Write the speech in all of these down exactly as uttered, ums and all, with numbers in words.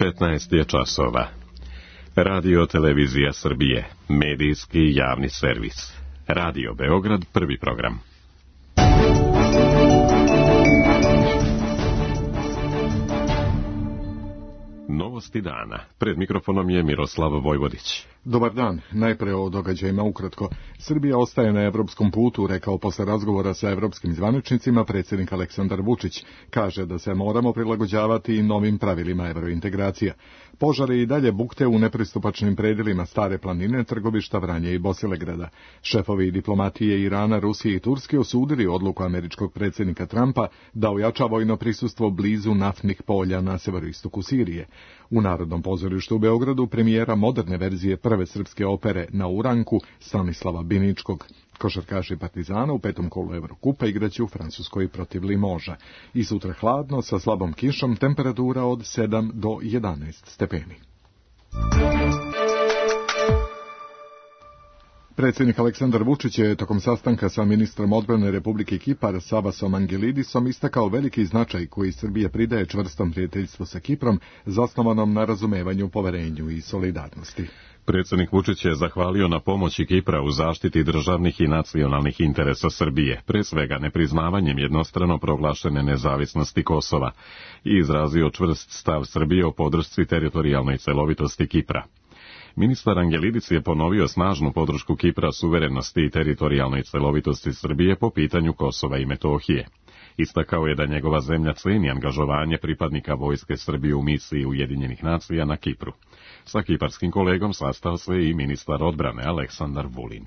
petnaest je časova. Radio Televizija Srbije, medijski javni servis. Radio Beograd, prvi program. Novosti dana. Pred mikrofonom je Miroslav Vojvodić. Dobar dan. Najpre o događajima ukratko. Srbija ostaje na evropskom putu, rekao posle razgovora sa evropskim zvaničnicima predsjednik Aleksandar Vučić. Kaže da se moramo prilagođavati i novim pravilima evrointegracija. Požari i dalje bukte u nepristupačnim predelima Stare planine, Trgovišta, Vranje i Bosilegrada. Šefovi diplomatije Irana, Rusije i Turske osudili odluku američkog predsjednika Trumpa da ojača vojno prisustvo blizu naftnih polja na severoistoku Sirije. U Narodnom pozorištu u Beogradu premijera moderne verzije prve srpske opere Na uranku Stanislava Biničkog. Košarkaši Partizana u petom kolu Evrokupa igraće u Francuskoj protiv Limoža. I sutra hladno sa slabom kišom, temperatura od sedam do jedanaest stepeni. Predsjednik Aleksandar Vučić je tokom sastanka sa ministrom odbrane Republike Kipar Savasom Angelidisom istakao veliki značaj koji Srbija pridaje čvrstom prijateljstvu sa Kiprom, zasnovanom na razumevanju, poverenju i solidarnosti. Predsjednik Vučić je zahvalio na pomoći Kipra u zaštiti državnih i nacionalnih interesa Srbije, pre svega nepriznavanjem jednostrano proglašene nezavisnosti Kosova, i izrazio čvrst stav Srbije o podršci teritorijalnoj celovitosti Kipra. Ministar Angelidis je ponovio snažnu podršku Kipra suverenosti i teritorijalnoj celovitosti Srbije po pitanju Kosova i Metohije. Istakao je da njegova zemlja ceni angažovanje pripadnika vojske Srbije u misiji Ujedinjenih nacija na Kipru. Sa kiparskim kolegom sastao se i ministar odbrane Aleksandar Vulin.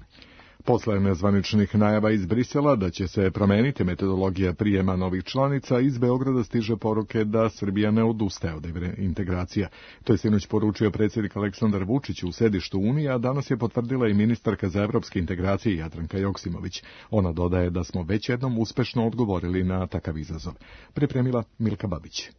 Posle nezvaničnih najava iz Brisela da će se promeniti metodologija prijema novih članica, iz Beograda stiže poruke da Srbija ne odustaje od integracija. To je sinoć poručio predsjednik Aleksandar Vučić u sedištu Unije, a danas je potvrdila i ministarka za evropske integracije Jadranka Joksimović. Ona dodaje da smo već jednom uspešno odgovorili na takav izazov. Pripremila Milka Babić.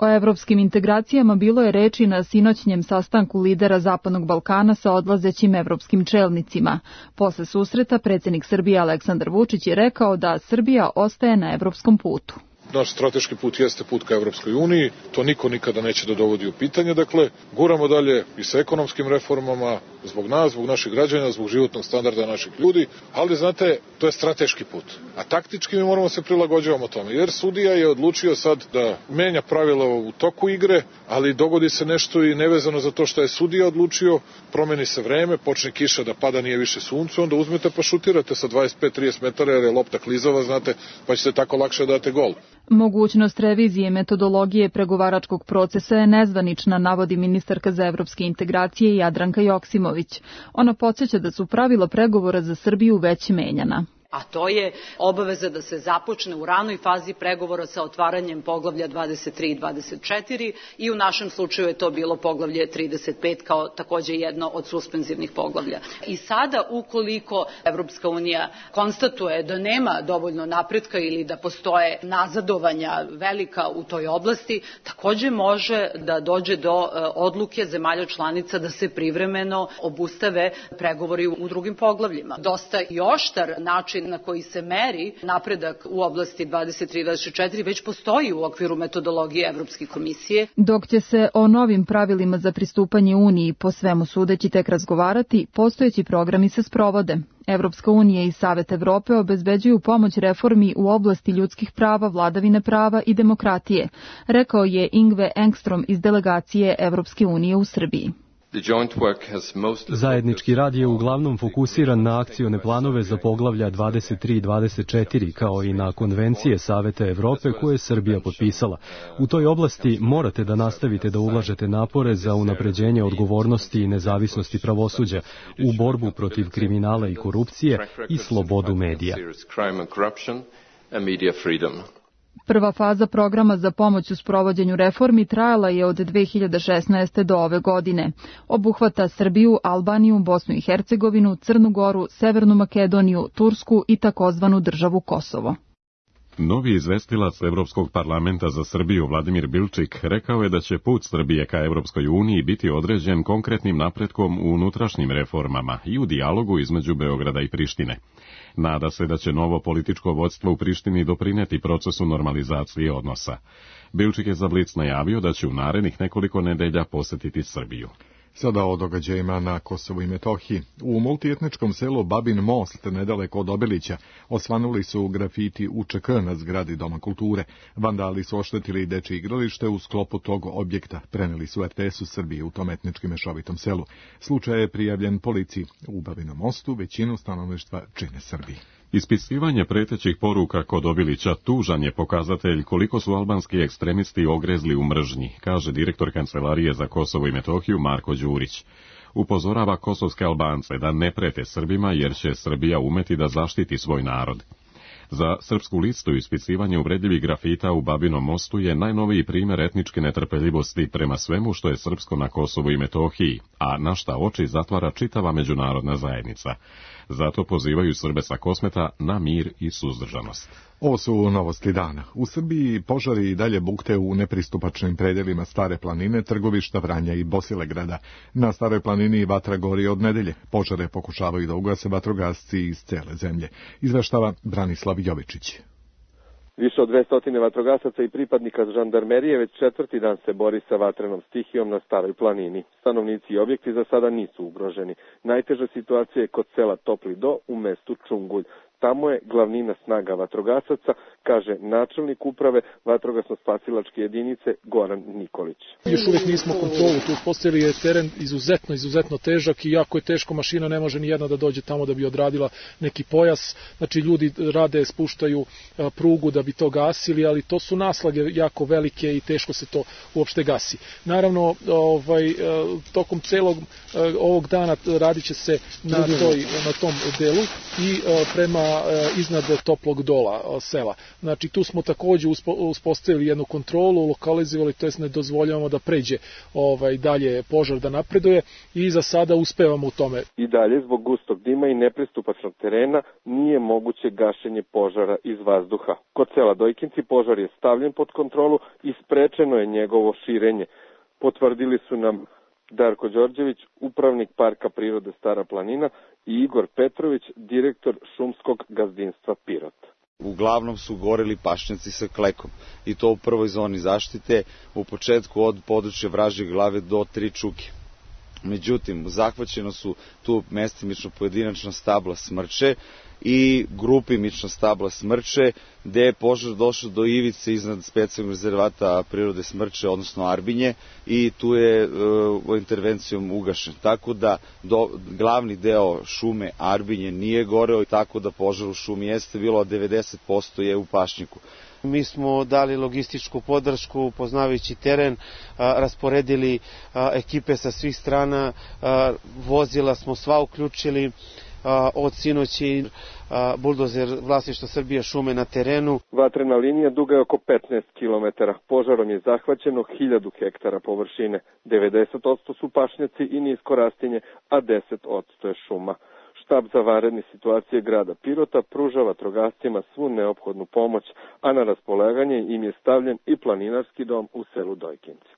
O evropskim integracijama bilo je reči na sinoćnjem sastanku lidera Zapadnog Balkana sa odlazećim evropskim čelnicima. Posle susreta predsjednik Srbije Aleksandar Vučić je rekao da Srbija ostaje na evropskom putu. Naš strateški put jeste put ka Evropskoj uniji, to niko nikada neće da dovodi u pitanje, dakle, guramo dalje i sa ekonomskim reformama, zbog nas, zbog naših građana, zbog životnog standarda naših ljudi, ali znate, to je strateški put, a taktički mi moramo se prilagođavamo tome, jer sudija je odlučio sad da menja pravila u toku igre, ali dogodi se nešto i nevezano za to što je sudija odlučio, promeni se vreme, počne kiša da pada, nije više sunce, onda uzmete pa šutirate sa dvadeset pet do trideset metara jer je lopta klizava, znate, pa ćete tako lakše date gol. Mogućnost revizije metodologije pregovaračkog procesa je nezvanična, navodi ministarka za evropske integracije Jadranka Joksimović. Ona podsjeća da su pravila pregovora za Srbiju već menjana. A to je obaveza da se započne u ranoj fazi pregovora sa otvaranjem poglavlja dvadeset tri i dvadeset četiri i u našem slučaju je to bilo poglavlje trideset pet kao takođe jedno od suspenzivnih poglavlja. I sada ukoliko Evropska unija konstatuje da nema dovoljno napretka ili da postoje nazadovanja velika u toj oblasti, takođe može da dođe do odluke zemalja članica da se privremeno obustave pregovori u drugim poglavljima. Dosta i oštar način na koji se meri napredak u oblasti dvadeset tri i dvadeset četiri već postoji u okviru metodologije Evropske komisije. Dok će se o novim pravilima za pristupanje Uniji po svemu sudeći tek razgovarati, postojeći programi se sprovode. Evropska unija i Savet Evrope obezbeđuju pomoć reformi u oblasti ljudskih prava, vladavine prava i demokratije, rekao je Ingve Engstrom iz delegacije Evropske unije u Srbiji. Zajednički rad je uglavnom fokusiran na akcione planove za poglavlja dvadeset tri i dvadeset četiri, kao i na konvencije Saveta Evrope koje je Srbija potpisala. U toj oblasti morate da nastavite da ulažete napore za unapređenje odgovornosti i nezavisnosti pravosuđa, u borbu protiv kriminala i korupcije i slobodu medija. Prva faza programa za pomoć u sprovođenju reformi trajala je od dve hiljade šesnaeste. do ove godine. Obuhvata Srbiju, Albaniju, Bosnu i Hercegovinu, Crnu Goru, Severnu Makedoniju, Tursku i takozvanu državu Kosovo. Novi izvestilac Evropskog parlamenta za Srbiju Vladimir Bilčik rekao je da će put Srbije ka Evropskoj uniji biti određen konkretnim napretkom u unutrašnjim reformama i u dijalogu između Beograda i Prištine. Nada se da će novo političko vodstvo u Prištini doprineti procesu normalizacije odnosa. Bilčik je za Blic najavio da će u narednih nekoliko nedelja posjetiti Srbiju. Sada o događajima na Kosovu i Metohiji. U multietničkom selu Babin Most, nedaleko od Obilića, osvanuli su grafiti U Č K na zgradi Doma kulture. Vandali su oštetili dečje igralište u sklopu tog objekta. Preneli su R T S u Srbiji u tom etnički mešovitom selu. Slučaj je prijavljen policiji. U Babinom Mostu većinu stanovništva čine Srbi. Ispisivanje pretećih poruka kod Obilića tužan je pokazatelj koliko su albanski ekstremisti ogrezli u mržnji, kaže direktor Kancelarije za Kosovo i Metohiju Marko Đurić. Upozorava kosovske Albance da ne prete Srbima jer će Srbija umeti da zaštiti svoj narod. Za Srpsku listu ispisivanje uvredljivih grafita u Babinom Mostu je najnoviji primjer etničke netrpeljivosti prema svemu što je srpsko na Kosovu i Metohiji, a na šta oči zatvara čitava međunarodna zajednica. Zato pozivaju Srbe sa Kosmeta na mir i suzdržanost. Ovo su novosti dana. U Srbiji požari i dalje bukte u nepristupačnim predelima Stare planine, Trgovišta, Vranja i Bosilegrada. Na Staroj planini vatra gori od nedelje. Požare pokušavaju da ugase vatrogasci iz cele zemlje. Izveštava Branislav Jovičić. Više od dvesta vatrogasaca i pripadnika žandarmerije već četvrti dan se bori sa vatrenom stihijom na Staroj planini. Stanovnici i objekti za sada nisu ugroženi. Najteža situacija je kod sela Topli Do u mestu Čungulj. Tamo je glavnina snaga vatrogasaca, kaže načelnik uprave vatrogasno-spasilačke jedinice Goran Nikolić. Još uvijek nismo kontrolu, tu uspostavili je teren izuzetno, izuzetno težak i jako je teško, mašina ne može ni jedna da dođe tamo da bi odradila neki pojas. Znači ljudi rade, spuštaju prugu da bi to gasili, ali to su naslage jako velike i teško se to uopšte gasi. Naravno, ovaj, tokom celog ovog dana radit će se na, toj, na tom delu i prema iznad Toplog Dola sela. Znači tu smo također uspostavili jednu kontrolu, lokalizovali, to jest ne dozvoljavamo da pređe ovaj, dalje požar da napreduje i za sada uspevamo u tome. I dalje zbog gustog dima i nepristupačnog terena nije moguće gašenje požara iz vazduha. Kod sela Dojkinci požar je stavljen pod kontrolu i sprečeno je njegovo širenje. Potvrdili su nam Darko Đorđević, upravnik Parka prirode Stara planina, i Igor Petrović, direktor šumskog gazdinstva Pirot. Uglavnom su goreli pašnjaci sa klekom i to u prvoj zoni zaštite, u početku od područja Vražje glave do Tri Čuke. Međutim, zahvaćeno su tu mestimično pojedinačna stabla smrče i grupimično stabla smrče, gde je požar došao do ivice iznad specijalnog rezervata prirode Smrče, odnosno Arbinje, i tu je e, intervencijom ugašen. Tako da do, glavni deo šume Arbinje nije goreo, tako da požar u šumi jeste bilo, a devedeset posto je u pašnjaku. Mi smo dali logističku podršku, poznavajući teren, a, rasporedili a, ekipe sa svih strana, a, vozila smo sva uključili, a, od sinoći a, buldozer vlasništva Srbija šume na terenu. Vatrena linija duga je oko petnaest kilometara. Požarom je zahvaćeno hiljadu hektara površine. devedeset posto su pašnjaci i nisko rastinje, a deset posto je šuma. Štab za vanredne situacije grada Pirota pruža vatrogascima svu neophodnu pomoć, a na raspolaganje im je stavljen i planinarski dom u selu Dojkinci.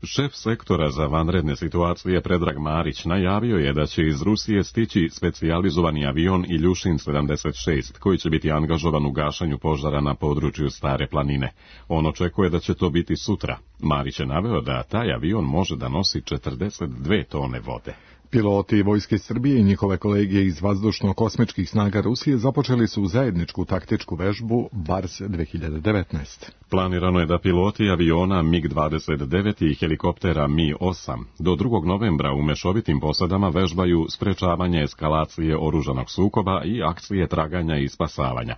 Šef sektora za vanredne situacije Predrag Marić najavio je da će iz Rusije stići specijalizovani avion Iljušin sedamdeset šest, koji će biti angažovan u gašanju požara na području Stare planine. On očekuje da će to biti sutra. Marić je naveo da taj avion može da nosi četrdeset dve tone vode. Piloti Vojske Srbije i njihove kolegije iz vazdušno-kosmičkih snaga Rusije započeli su zajedničku taktičku vežbu Bars dve hiljade devetnaest. Planirano je da piloti aviona mig dvadeset devet i helikoptera Mi osam do drugog novembra u mešovitim posadama vežbaju sprečavanje eskalacije oružanog sukoba i akcije traganja i spasavanja.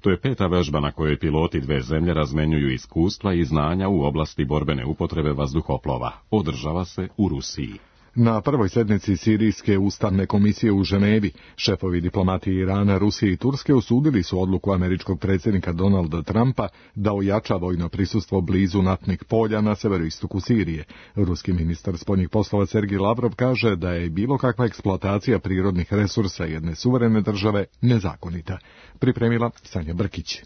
To je peta vežba na kojoj piloti dve zemlje razmenjuju iskustva i znanja u oblasti borbene upotrebe vazduhoplova. Održava se u Rusiji. Na prvoj sednici Sirijske ustavne komisije u Ženevi, šefovi diplomatije Irana, Rusije i Turske osudili su odluku američkog predsjednika Donalda Trumpa da ojača vojno prisustvo blizu naftnih polja na severoistoku Sirije. Ruski ministar spoljnih poslova Sergij Lavrov kaže da je bilo kakva eksploatacija prirodnih resursa jedne suverene države nezakonita. Pripremila Sanja Brkić.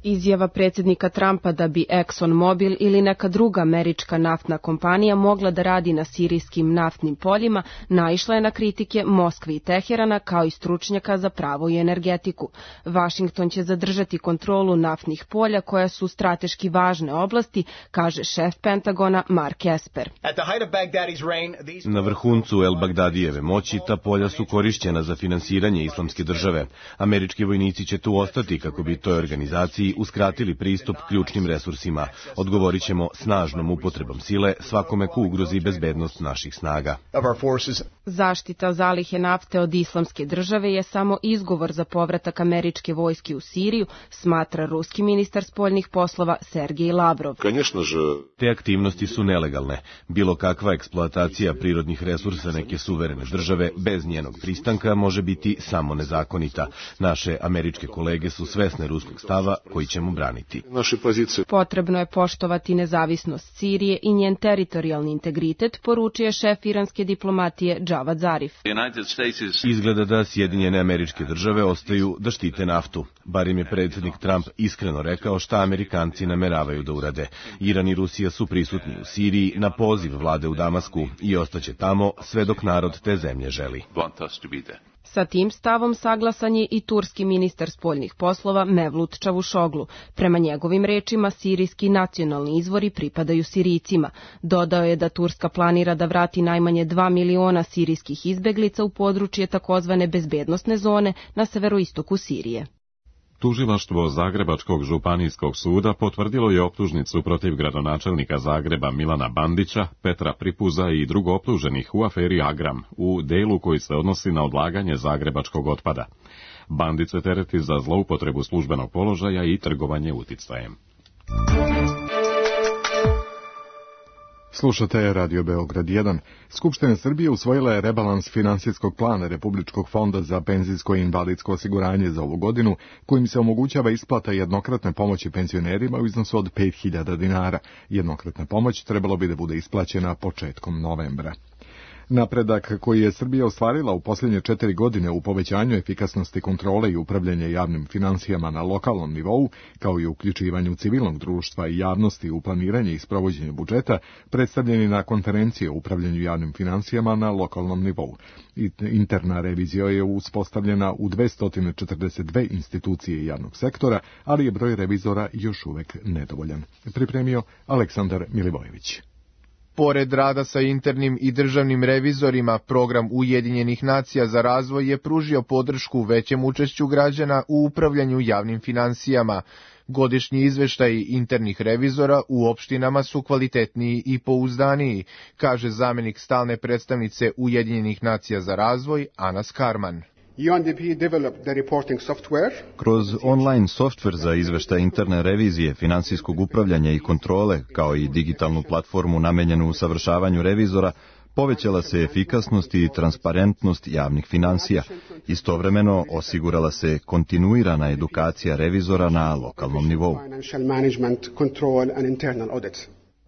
Izjava predsjednika Trumpa da bi ExxonMobil ili neka druga američka naftna kompanija mogla da radi na sirijskim naftnim poljima naišla je na kritike Moskve i Teherana kao i stručnjaka za pravo i energetiku. Vašington će zadržati kontrolu naftnih polja koja su strateški važne oblasti, kaže šef Pentagona Mark Esper. Na vrhuncu El-Bagdadijeve moći ta polja su korišćena za finansiranje islamske države. Američki vojnici će tu ostati kako bi toj organizaciji uskratili pristup ključnim resursima. Odgovorit ćemo snažnom upotrebom sile svakome ko ugrozi bezbednost naših snaga. Zaštita zalihe nafte od islamske države je samo izgovor za povratak američke vojske u Siriju, smatra ruski ministar spoljnih poslova Sergej Lavrov. Te aktivnosti su nelegalne. Bilo kakva eksploatacija prirodnih resursa neke suverene države bez njenog pristanka može biti samo nezakonita. Naše američke kolege su svesne ruskog stava koji ćemo braniti. Potrebno je poštovati nezavisnost Sirije i njen teritorijalni integritet, poručuje šef iranske diplomatije Džavad Zarif. Izgleda da Sjedinjene Američke Države ostaju da štite naftu. Bar im je predsjednik Trump iskreno rekao šta Amerikanci nameravaju da urade. Iran i Rusija su prisutni u Siriji na poziv vlade u Damasku i ostaće tamo sve dok narod te zemlje želi. Sa tim stavom saglasan je i turski ministar spoljnih poslova Mevlut Čavuşoglu. Prema njegovim rečima, sirijski nacionalni izvori pripadaju Sirijcima. Dodao je da Turska planira da vrati najmanje dva miliona sirijskih izbeglica u područje takozvane bezbednosne zone na severoistoku Sirije. Tužilaštvo Zagrebačkog županijskog suda potvrdilo je optužnicu protiv gradonačelnika Zagreba Milana Bandića, Petra Pripuza i drugo optuženih u aferi Agram, u delu koji se odnosi na odlaganje zagrebačkog otpada. Bandić se tereti za zloupotrebu službenog položaja i trgovanje uticajem. Slušate Radio Beograd jedan. Skupština Srbije usvojila je rebalans finansijskog plana Republičkog fonda za penzijsko i invalidsko osiguranje za ovu godinu, kojim se omogućava isplata jednokratne pomoći penzionerima u iznosu od pet hiljada dinara. Jednokratna pomoć trebalo bi da bude isplaćena početkom novembra. Napredak koji je Srbija ostvarila u posljednje četiri godine u povećanju efikasnosti kontrole i upravljanja javnim finansijama na lokalnom nivou, kao i uključivanju civilnog društva i javnosti u planiranje i sprovođenje budžeta, predstavljeni na konferenciji o upravljanju javnim finansijama na lokalnom nivou. Interna revizija je uspostavljena u dvesta četrdeset dve institucije javnog sektora, ali je broj revizora još uvek nedovoljan. Pripremio Aleksandar Milivojević. Pored rada sa internim i državnim revizorima, program Ujedinjenih nacija za razvoj je pružio podršku većem učešću građana u upravljanju javnim finansijama. Godišnji izveštaji internih revizora u opštinama su kvalitetniji i pouzdaniji, kaže zamenik stalne predstavnice Ujedinjenih nacija za razvoj Ana Skarman. U N D P developed the reporting software. Kroz online softver za izveštaj interne revizije, finansijskog upravljanja i kontrole, kao i digitalnu platformu namenjenu usavršavanju revizora, povećala se efikasnost i transparentnost javnih finansija. Istovremeno osigurala se kontinuirana edukacija revizora na lokalnom nivou.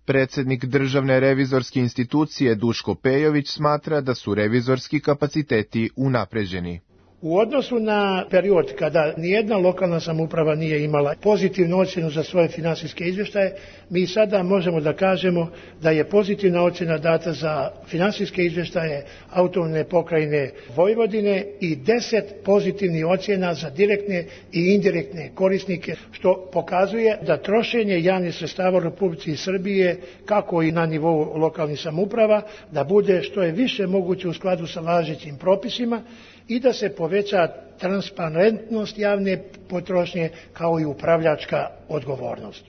Predsjednik Državne revizorske institucije Duško Pejović smatra da su revizorski kapaciteti unapređeni. U odnosu na period kada nijedna lokalna samouprava nije imala pozitivnu ocjenu za svoje finansijske izvještaje, mi sada možemo da kažemo da je pozitivna ocjena data za finansijske izvještaje autonomne pokrajine Vojvodine i deset pozitivnih ocjena za direktne i indirektne korisnike, što pokazuje da trošenje javnih sredstava u Republici Srbije, kako i na nivou lokalnih samouprava, da bude što je više moguće u skladu sa važećim propisima i da se poveća transparentnost javne potrošnje kao i upravljačka odgovornost.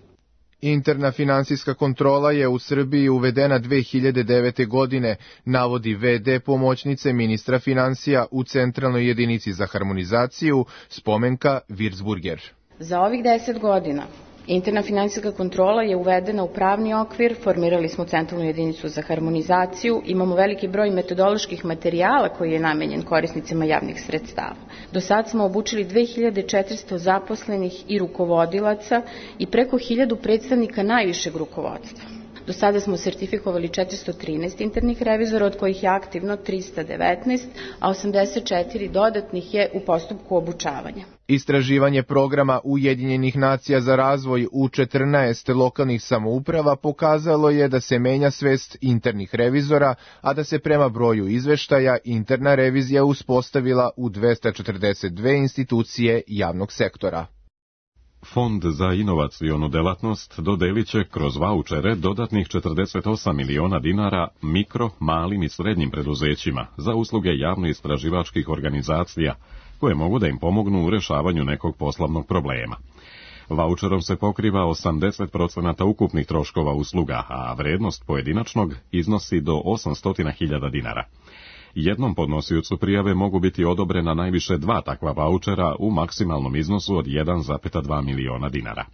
Interna finansijska kontrola je u Srbiji uvedena dve hiljade devete. godine, navodi ve de pomoćnice ministra finansija u Centralnoj jedinici za harmonizaciju, Spomenka Virzburger. Za ovih deset godina interna finansijska kontrola je uvedena u pravni okvir, formirali smo Centralnu jedinicu za harmonizaciju, imamo veliki broj metodoloških materijala koji je namenjen korisnicima javnih sredstava. Do sad smo obučili dve hiljade četiristo zaposlenih i rukovodilaca i preko hiljadu predstavnika najvišeg rukovodstva. Do sada smo sertifikovali četiristo trinaest internih revizora, od kojih je aktivno trista devetnaest, a osamdeset četiri dodatnih je u postupku obučavanja. Istraživanje programa Ujedinjenih nacija za razvoj u četrnaest lokalnih samouprava pokazalo je da se menja svest internih revizora, a da se prema broju izveštaja interna revizija uspostavila u dvesta četrdeset dve institucije javnog sektora. Fond za inovacionu delatnost dodelit će kroz vaučere dodatnih četrdeset osam miliona dinara mikro, malim i srednjim preduzećima za usluge javno-istraživačkih organizacija koje mogu da im pomognu u rešavanju nekog poslovnog problema. Vaučerom se pokriva osamdeset procenata ukupnih troškova usluga, a vrednost pojedinačnog iznosi do osamsto hiljada dinara. Jednom podnosiocu prijave mogu biti odobrena najviše dva takva vaučera u maksimalnom iznosu od jedan zarez dva miliona dinara.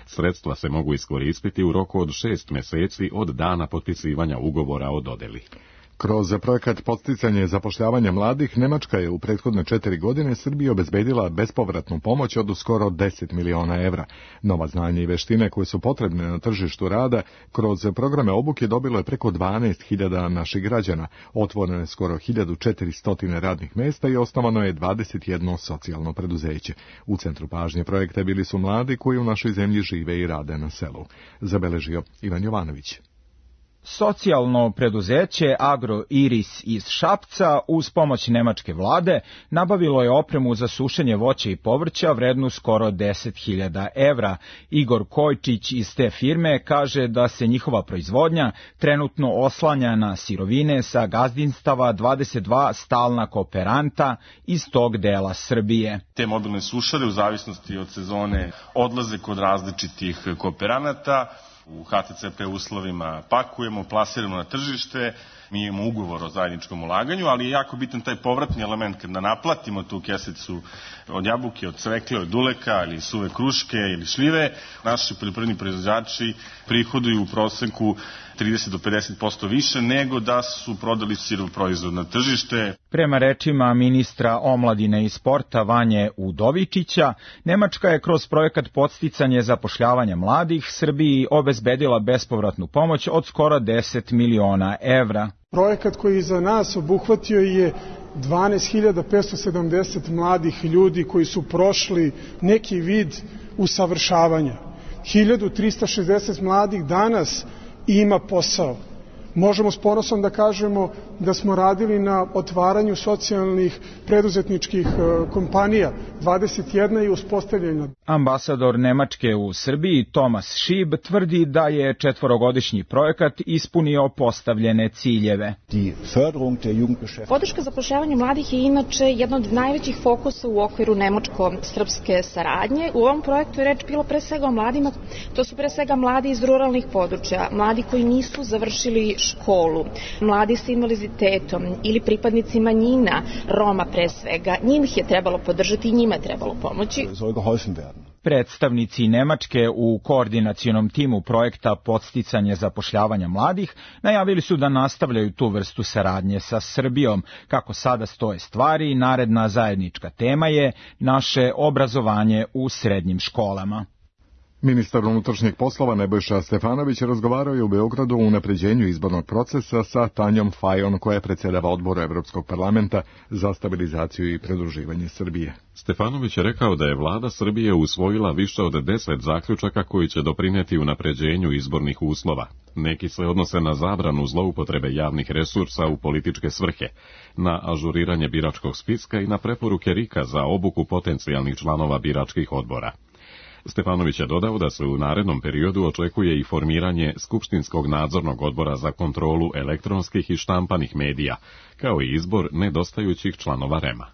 Sredstva se mogu iskoristiti u roku od šest meseci od dana potpisivanja ugovora o dodeli. Kroz projekat podsticanja zapošljavanja mladih, Nemačka je u prethodne četiri godine Srbiji obezbedila bespovratnu pomoć od skoro deset miliona evra. Nova znanja i veštine koje su potrebne na tržištu rada kroz programe obuke dobilo je preko dvanaest hiljada naših građana, otvoreno je skoro hiljadu četiristo radnih mesta i osnovano je dvadeset jedno socijalno preduzeće. U centru pažnje projekta bili su mladi koji u našoj zemlji žive i rade na selu. Zabeležio Ivan Jovanović. Socijalno preduzeće Agro Iris iz Šapca uz pomoć nemačke vlade nabavilo je opremu za sušenje voća i povrća vrednu skoro deset hiljada evra. Igor Kojčić iz te firme kaže da se njihova proizvodnja trenutno oslanja na sirovine sa gazdinstava dvadeset dva stalna kooperanta iz tog dela Srbije. Te mobilne sušare u zavisnosti od sezone odlaze kod različitih kooperanata. U H T C P uslovima pakujemo, plasiramo na tržište, mi imamo ugovor o zajedničkom ulaganju, ali je jako bitan taj povratni element kada naplatimo tu kesicu od jabuke, od cvekle, od duleka ili suve kruške ili šljive. Naši poljoprivredni proizvođači prihoduju u proseku trideset do pedeset posto više nego da su prodali sirov proizvod na tržište. Prema rečima ministra omladine i sporta Vanje Udovičića, Nemačka je kroz projekat podsticanje zapošljavanja mladih Srbiji obezbedila bespovratnu pomoć od skoro deset miliona evra. Projekat koji za nas obuhvatio je dvanaest hiljada petsto sedamdeset mladih ljudi koji su prošli neki vid usavršavanja. hiljadu trista šezdeset mladih danas ima posao. Možemo s ponosom da kažemo da smo radili na otvaranju socijalnih preduzetničkih kompanija, dvadeset jedna je uspostavljena. Ambasador Nemačke u Srbiji Tomas Šib tvrdi da je četvorogodišnji projekat ispunio postavljene ciljeve. Podrška zapošljavanju mladih je inače jedna od najvećih fokusa u okviru nemačko-srpske saradnje. U ovom projektu je reč bilo pre svega o mladima, to su pre svega mladi iz ruralnih područja, mladi koji nisu završili školu, mladi sa invaliditetom ili pripadnici manjina, Roma pre svega, njih je trebalo podržati i njima je trebalo pomoći. Predstavnici Nemačke u koordinacionom timu projekta podsticanje zapošljavanja mladih najavili su da nastavljaju tu vrstu saradnje sa Srbijom. Kako sada stoje stvari, naredna zajednička tema je naše obrazovanje u srednjim školama. Ministar unutrašnjih poslova Nebojša Stefanović razgovarao je u Beogradu o unapređenju izbornog procesa sa Tanjom Fajon, koja predsjedava odboru Evropskog parlamenta za stabilizaciju i pridruživanje Srbije. Stefanović je rekao da je vlada Srbije usvojila više od deset zaključaka koji će doprineti unapređenju izbornih uslova. Neki se odnose na zabranu zloupotrebe javnih resursa u političke svrhe, na ažuriranje biračkog spiska i na preporuke RIK-a za obuku potencijalnih članova biračkih odbora. Stefanović je dodao da se u narednom periodu očekuje i formiranje Skupštinskog nadzornog odbora za kontrolu elektronskih i štampanih medija, kao i izbor nedostajućih članova REM-a.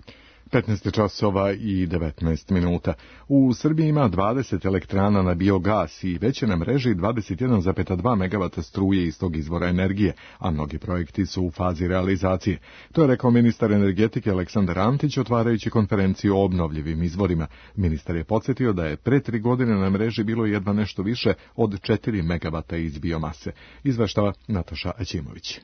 petnaest časova i devetnaest minuta. U Srbiji ima dvadeset elektrana na biogas i već je na mreži dvadeset jedan zarez dva megavata struje iz tog izvora energije, a mnogi projekti su u fazi realizacije. To je rekao ministar energetike Aleksandar Antić otvarajući konferenciju o obnovljivim izvorima. Ministar je podsjetio da je pre tri godine na mreži bilo jedva nešto više od četiri megavata iz biomase. Izveštava Nataša Aćimović.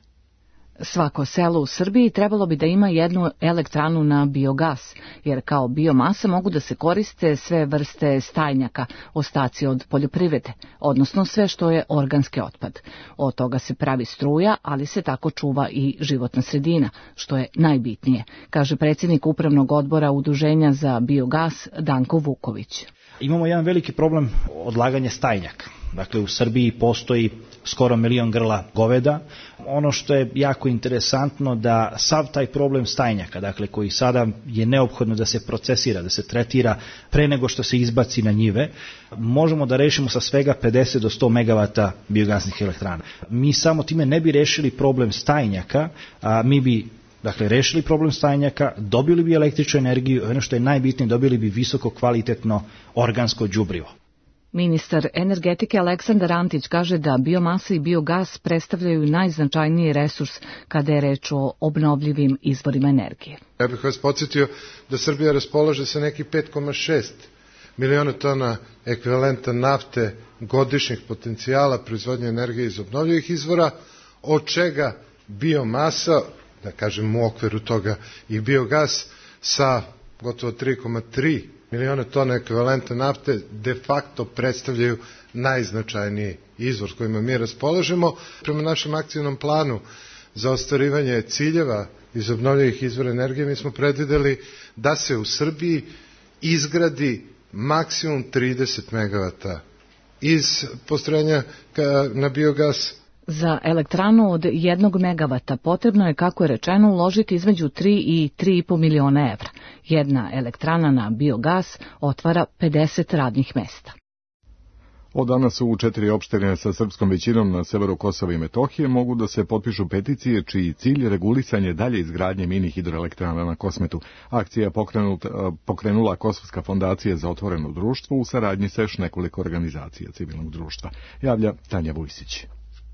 Svako selo u Srbiji trebalo bi da ima jednu elektranu na biogas, jer kao biomasa mogu da se koriste sve vrste stajnjaka, ostaci od poljoprivrede, odnosno sve što je organski otpad. Od toga se pravi struja, ali se tako čuva i životna sredina, što je najbitnije, kaže predsjednik Upravnog odbora Udruženja za biogas Danko Vuković. Imamo jedan veliki problem odlaganja stajnjaka. Dakle, u Srbiji postoji skoro milion grla goveda. Ono što je jako interesantno da sav taj problem stajnjaka, dakle koji sada je neophodno da se procesira, da se tretira pre nego što se izbaci na njive, možemo da rešimo sa svega pedeset do sto megavata biogasnih elektrana. Mi samo time ne bi rešili problem stajnjaka, a mi bi Dakle, rešili problem stajnjaka, dobili bi električnu energiju, ono što je najbitnije, dobili bi visoko kvalitetno organsko đubrivo. Ministar energetike Aleksandar Antić kaže da biomasa i biogas predstavljaju najznačajniji resurs kada je reč o obnovljivim izvorima energije. Ja bih vas podsjetio da Srbija raspolaže sa nekih pet zarez šest miliona tona ekvivalenta nafte godišnjeg potencijala proizvodnje energije iz obnovljivih izvora, od čega biomasa, da kažem u okviru toga i biogas sa gotovo tri zarez tri miliona tona ekvivalenta nafte de facto predstavljaju najznačajniji izvor s kojima mi raspolažemo. Prema našem akcijnom planu za ostvarivanje ciljeva iz obnovljivih izvora energije mi smo predvideli da se u Srbiji izgradi maksimum trideset megavata iz postrojenja na biogas. Za elektranu od jednog megavata potrebno je, kako je rečeno, uložiti između tri i tri i po miliona evra. Jedna elektrana na biogas otvara pedeset radnih mesta. Od danas u četiri opštine sa srpskom većinom na severu Kosova i Metohije mogu da se potpišu peticije čiji cilj je regulisanje dalje izgradnje mini hidroelektrana na Kosmetu. Akcija je pokrenula Kosovska fondacija za otvoreno društvo u saradnji sa još nekoliko organizacija civilnog društva. Javlja Tanja Vujsić.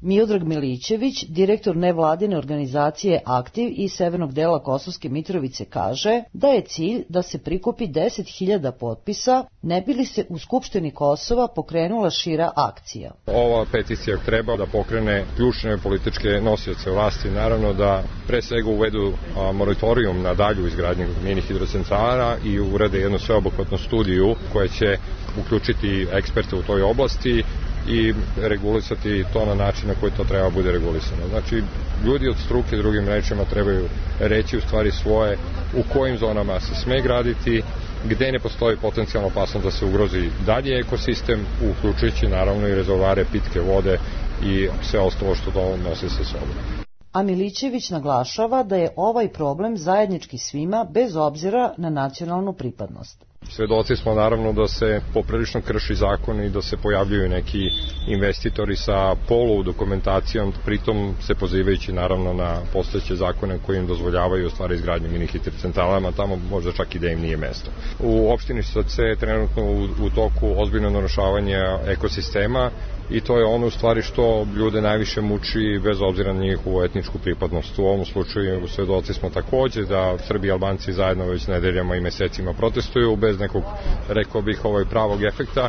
Miodrag Milićević, direktor nevladine organizacije Aktiv iz severnog dela Kosovske Mitrovice, kaže da je cilj da se prikupi deset hiljada potpisa, ne bi li se u Skupštini Kosova pokrenula šira akcija. Ova peticija treba da pokrene ključne političke nosioce vlasti, naravno da pre svega uvedu moratorijum na dalju izgradnju mini hidrocentrala i urade jednu sveobuhvatnu studiju koja će uključiti eksperte u toj oblasti i regulisati to na način na koji to treba bude regulisano. Znači, ljudi od struke, drugim rečima, trebaju reći u stvari svoje u kojim zonama se sme graditi, gde ne postoji potencijalno opasnost da se ugrozi dalje ekosistem, uključujući naravno i rezervoare pitke vode i sve ostalo što to nosi sa sobom. A Milićević naglašava da je ovaj problem zajednički svima bez obzira na nacionalnu pripadnost. Svedoci smo naravno da se poprilično krši zakon i da se pojavljuju neki investitori sa polu dokumentacijom, pritom se pozivajući naravno na postojeće zakone koji im dozvoljavaju u stvari izgradnju mini hidrocentralama, tamo možda čak i da im nije mesto. U opštini Soce je trenutno u, u toku ozbiljno narušavanje ekosistema i to je ono u stvari što ljude najviše muči bez obzira na njihovu etničku pripadnost. U ovom slučaju svedoci smo takođe da Srbi i Albanci zajedno već nedeljama i mesecima protestuju bez nekog, rekao bih, ovaj pravog efekta.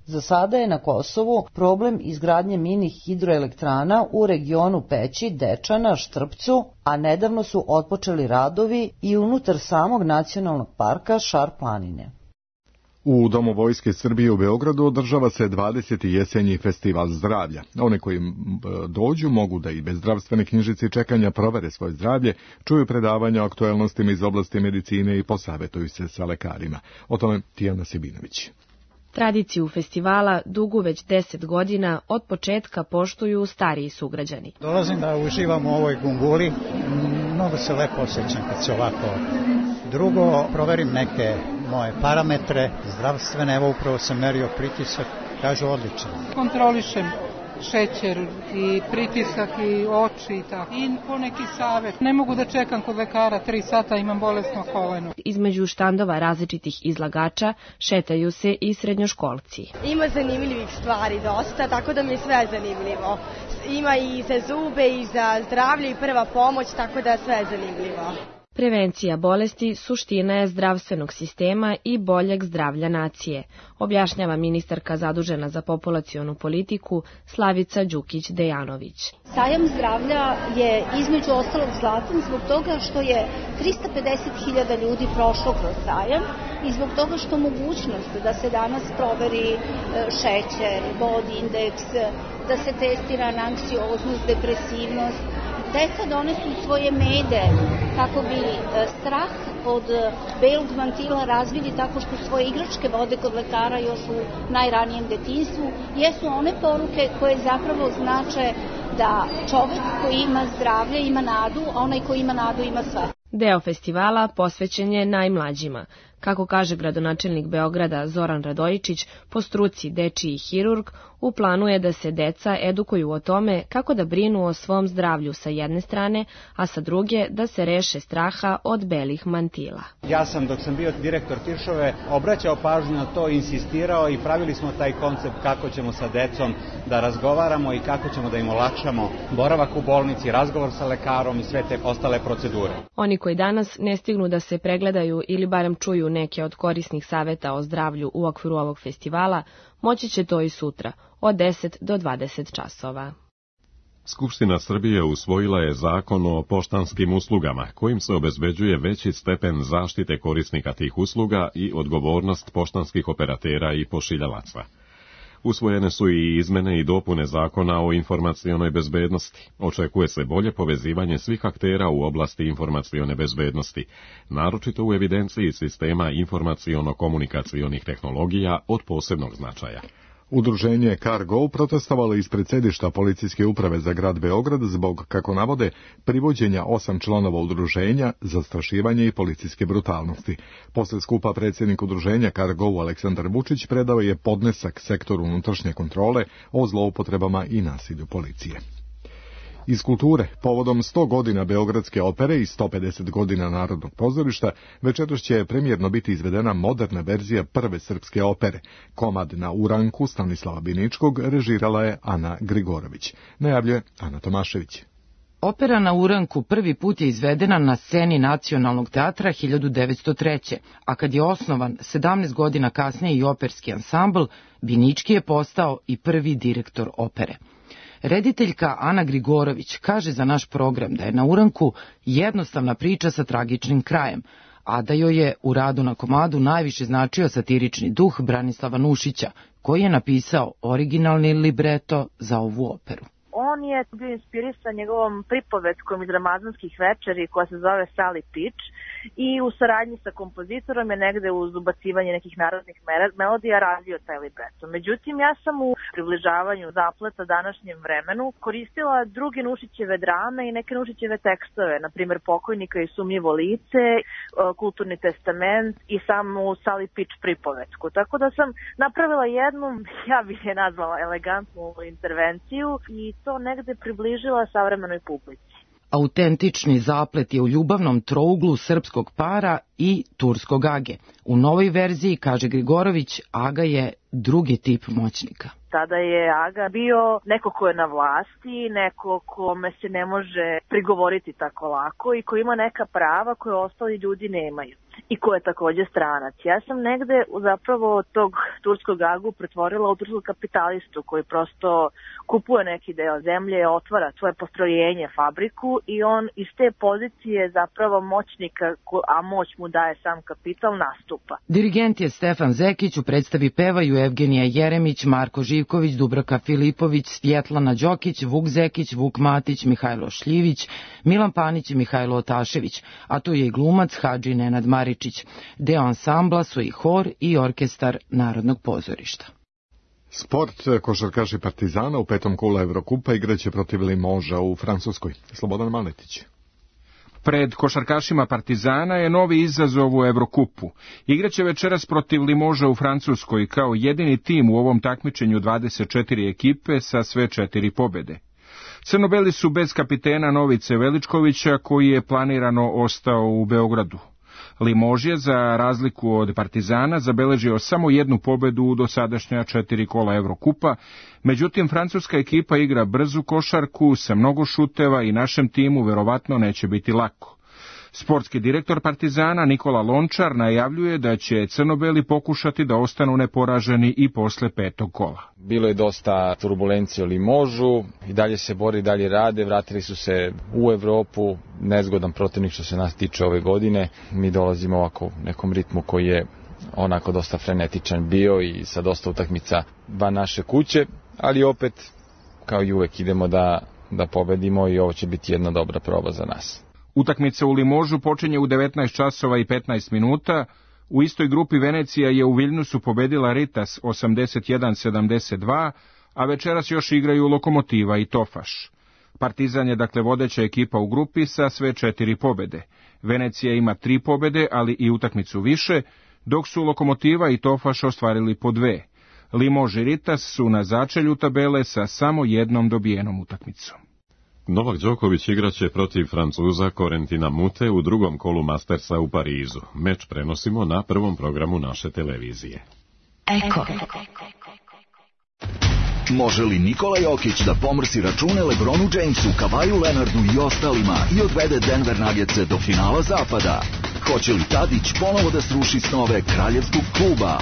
Za sada je na Kosovu problem izgradnje mini hidroelektrana u regionu Peći, Dečana, Štrpcu, a nedavno su otpočeli radovi i unutar samog nacionalnog parka Šar planine. U Domu Vojske Srbije u Beogradu održava se dvadeseti jesenji festival zdravlja. One koji dođu mogu da i bez zdravstvene knjižice čekanja provere svoje zdravlje, čuju predavanja o aktuelnostima iz oblasti medicine i posavetuju se sa lekarima. O tome Tijana Sebinović. Tradiciju festivala dugu već deset godina od početka poštuju stariji sugrađani. Dolazim da uživam u ovoj gunguli, mnogo se lepo osjećam kad se ovako. Drugo, proverim neke moje parametre zdravstvene, evo upravo sam merio pritisak, kažu odlično. Kontrolišem šećer i pritisak i oči i tako. I poneki savet. Ne mogu da čekam kod lekara tri sata, imam bolesno koleno. Između štandova različitih izlagača šetaju se i srednjoškolci. Ima zanimljivih stvari dosta, tako da mi je sve zanimljivo. Ima i za zube i za zdravlje i prva pomoć, tako da sve je zanimljivo. Prevencija bolesti suština je zdravstvenog sistema i boljeg zdravlja nacije, objašnjava ministarka zadužena za populacionu politiku Slavica Đukić-Dejanović. Sajam zdravlja je između ostalog zlatan zbog toga što je trista pedeset hiljada ljudi prošlo kroz sajam i zbog toga što mogućnost da se danas proveri šećer, body index, da se testira na anksioznost, depresivnost, deca donesu svoje mede kako bi strah od belog mantila razvili tako što svoje igračke vode kod lekara još u najranijem detinjstvu, jesu one poruke koje zapravo znače da čovek koji ima zdravlje ima nadu, a onaj koji ima nadu ima sve. Deo festivala posvećen je najmlađima. Kako kaže gradonačelnik Beograda Zoran Radojičić, po struci dečiji hirurg, u planu je da se deca edukuju o tome kako da brinu o svom zdravlju sa jedne strane, a sa druge da se reše straha od belih mantila. Ja sam, dok sam bio direktor Tiršove, obraćao pažnju na to, insistirao i pravili smo taj koncept kako ćemo sa decom da razgovaramo i kako ćemo da im olakšamo boravak u bolnici, razgovor sa lekarom i sve te ostale procedure. Oni koji danas ne stignu da se pregledaju ili barem čuju neke od korisnih saveta o zdravlju u okviru ovog festivala, moći će to i sutra, od deset do dvadeset časova. Skupština Srbije usvojila je zakon o poštanskim uslugama, kojim se obezbeđuje veći stepen zaštite korisnika tih usluga i odgovornost poštanskih operatera i pošiljalaca. Usvojene su i izmene i dopune zakona o informacionoj bezbednosti. Očekuje se bolje povezivanje svih aktera u oblasti informacione bezbednosti, naročito u evidenciji sistema informaciono-komunikacionih tehnologija od posebnog značaja. Udruženje Cargo protestovalo ispred sedišta policijske uprave za grad Beograd zbog, kako navode, privođenja osam članova udruženja, zastrašivanje i policijske brutalnosti. Posle skupa predsjednik udruženja Cargo Aleksandar Vučić predao je podnesak sektoru unutrašnje kontrole o zloupotrebama i nasilju policije. Iz kulture, povodom sto godina Beogradske opere i sto pedeset godina Narodnog pozorišta, večeras će premijerno biti izvedena moderna verzija prve srpske opere. Komad na uranku Stanislava Biničkog režirala je Ana Grigorović. Najavljuje Ana Tomašević. Opera na uranku prvi put je izvedena na sceni Nacionalnog teatra hiljadu devetsto treće. a kad je osnovan sedamnaest godina kasnije i operski ansambl, Binički je postao i prvi direktor opere. Rediteljka Ana Grigorović kaže za naš program da je na uranku jednostavna priča sa tragičnim krajem, a da joj je u radu na komadu najviše značio satirični duh Branislava Nušića, koji je napisao originalni libreto za ovu operu. On je bio inspirisan njegovom pripovetkom iz Ramazanskih večeri koja se zove Sally Pitch i u saradnji sa kompozitorom je negde uz ubacivanje nekih narodnih melodija razvio taj libreto. Međutim, ja sam u približavanju zapleta današnjem vremenu koristila druge Nušićeve drame i neke Nušićeve tekstove, na primjer Pokojnika i sumnjivo lice, Kulturni testament i samu Sally Pitch pripovetku. Tako da sam napravila jednu, ja bih je nazvala elegantnu intervenciju i to negde približila savremenoj publici. Autentični zaplet je u ljubavnom trouglu srpskog para i turskog age. U novoj verziji, kaže Grigorović, aga je drugi tip moćnika. Tada je aga bio neko ko je na vlasti, neko kome se ne može prigovoriti tako lako i ko ima neka prava koje ostali ljudi nemaju i ko je takođe stranac. Ja sam negde zapravo tog turskog agu pretvorila u turskog kapitalistu koji prosto kupuje neki deo zemlje, otvara svoje postrojenje, fabriku i on iz te pozicije zapravo moćnika, a moć mu daje sam kapital, nastupa. Dirigent je Stefan Zekić, u predstavi pevaju Evgenija Jeremić, Marko Živković, Dubravka Filipović, Svjetlana Đokić, Vuk Zekić, Vuk Matić, Mihajlo Šljivić, Milan Panić i Mihajlo Otašević, a tu je i glumac Hadži Nenad Maričić. Deo ansambla su i hor i orkestar Narodnog pozorišta. Sport, košarkaši Partizana u petom kolu Evrokupa igraće protiv Limoža u Francuskoj. Slobodan Maletić. Pred košarkašima Partizana je novi izazov u Evrokupu. Igraće večeras protiv Limoža u Francuskoj kao jedini tim u ovom takmičenju dvadeset četiri ekipe sa sve četiri pobede. Crnobeli su bez kapitena Novice Veličkovića koji je planirano ostao u Beogradu. Limož je, za razliku od Partizana, zabeležio samo jednu pobedu u dosadašnja četiri kola Evrokupa, međutim francuska ekipa igra brzu košarku sa mnogo šuteva i našem timu verovatno neće biti lako. Sportski direktor Partizana Nikola Lončar najavljuje da će crno-beli pokušati da ostanu neporaženi i posle petog kola. Bilo je dosta turbulencije u Limožu, i dalje se bori, i dalje rade, vratili su se u Evropu, nezgodan protivnik što se nas tiče ove godine. Mi dolazimo ovako u nekom ritmu koji je onako dosta frenetičan bio i sa dosta utakmica van naše kuće, ali opet, kao i uvek, idemo da, da pobedimo i ovo će biti jedna dobra proba za nas. Utakmica u Limožu počinje u devetnaest časova i petnaest minuta. U istoj grupi Venecija je u Viljnusu pobedila Ritas osamdeset jedan sedamdeset dva, a večeras još igraju Lokomotiva i Tofaš. Partizan je dakle vodeća ekipa u grupi sa sve četiri pobede. Venecija ima tri pobede, ali i utakmicu više, dok su Lokomotiva i Tofaš ostvarili po dve. Limož i Ritas su na začelju tabele sa samo jednom dobijenom utakmicom. Novak Đoković igraće protiv Francuza Corentina Mute u drugom kolu Mastersa u Parizu. Meč prenosimo na prvom programu naše televizije. Eko. Može li Nikola Jokić da pomrsi račune LeBronu Jamesu, Kavaju Leonardu i ostalima i odvede Denver Nuggetse do finala zapada? Hoće li Tadić ponovo da sruši snove kraljevskog kluba?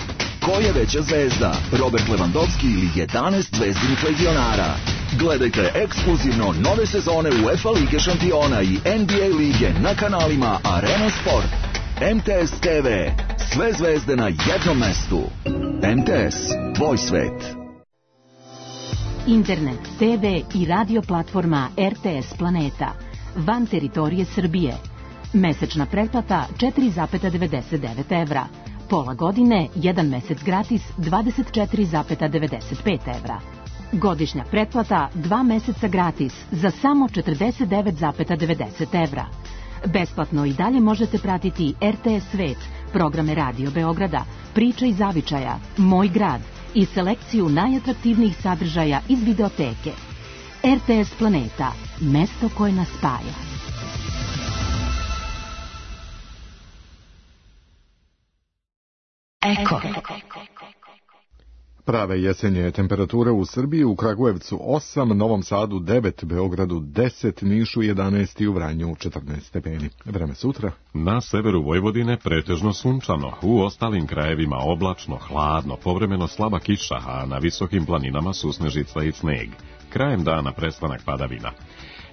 Ko je veća zvezda, Robert Lewandowski ili jedanaest zvezdinih legionara? Gledajte ekskluzivno nove sezone UEFA Lige šampiona i N B A lige na kanalima Arena Sport. M T S T V. Sve zvezde na jednom mestu. M T S. Tvoj svet. Internet, T V i radio platforma R T S Planeta. Van teritorije Srbije. Mesečna pretplata četiri zarez devedeset devet evra. Pola godine, jedan mesec gratis, dvadeset četiri zarez devedeset pet evra. Godišnja pretplata, dva meseca gratis, za samo četrdeset devet zarez devedeset evra. Besplatno i dalje možete pratiti R T S Svet, programe Radio Beograda, Priča iz Zavičaja, Moj grad i selekciju najatraktivnijih sadržaja iz videoteke. R T S Planeta, mesto koje nas spaja. Eko. Prave jesenje temperature u Srbiji, u Kragujevcu osam, Novom Sadu devet, Beogradu deset, Nišu jedanaest i u Vranju četrnaest stepeni. Vreme sutra. Na severu Vojvodine pretežno sunčano, u ostalim krajevima oblačno, hladno, povremeno slaba kiša, a na visokim planinama susnežica i sneg. Krajem dana prestanak padavina.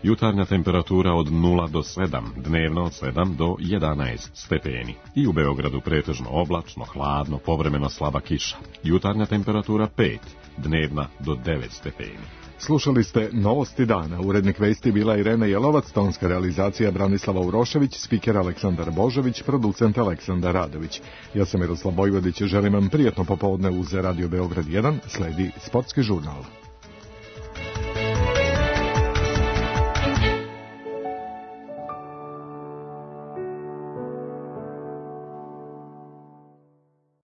Jutarnja temperatura od nula do sedam, dnevno od sedam do jedanaest stepeni. I u Beogradu pretežno oblačno, hladno, povremeno slaba kiša. Jutarnja temperatura pet, dnevna do devet stepeni. Slušali ste Novosti dana. Urednik vesti bila Irena Jelovac, tonska realizacija Branislava Urošević, spiker Aleksandar Božović, producent Aleksandar Radović. Ja sam Miroslav Vojvodić, želim vam prijatno popodne uz Radio Beograd jedan, sledi sportski žurnal.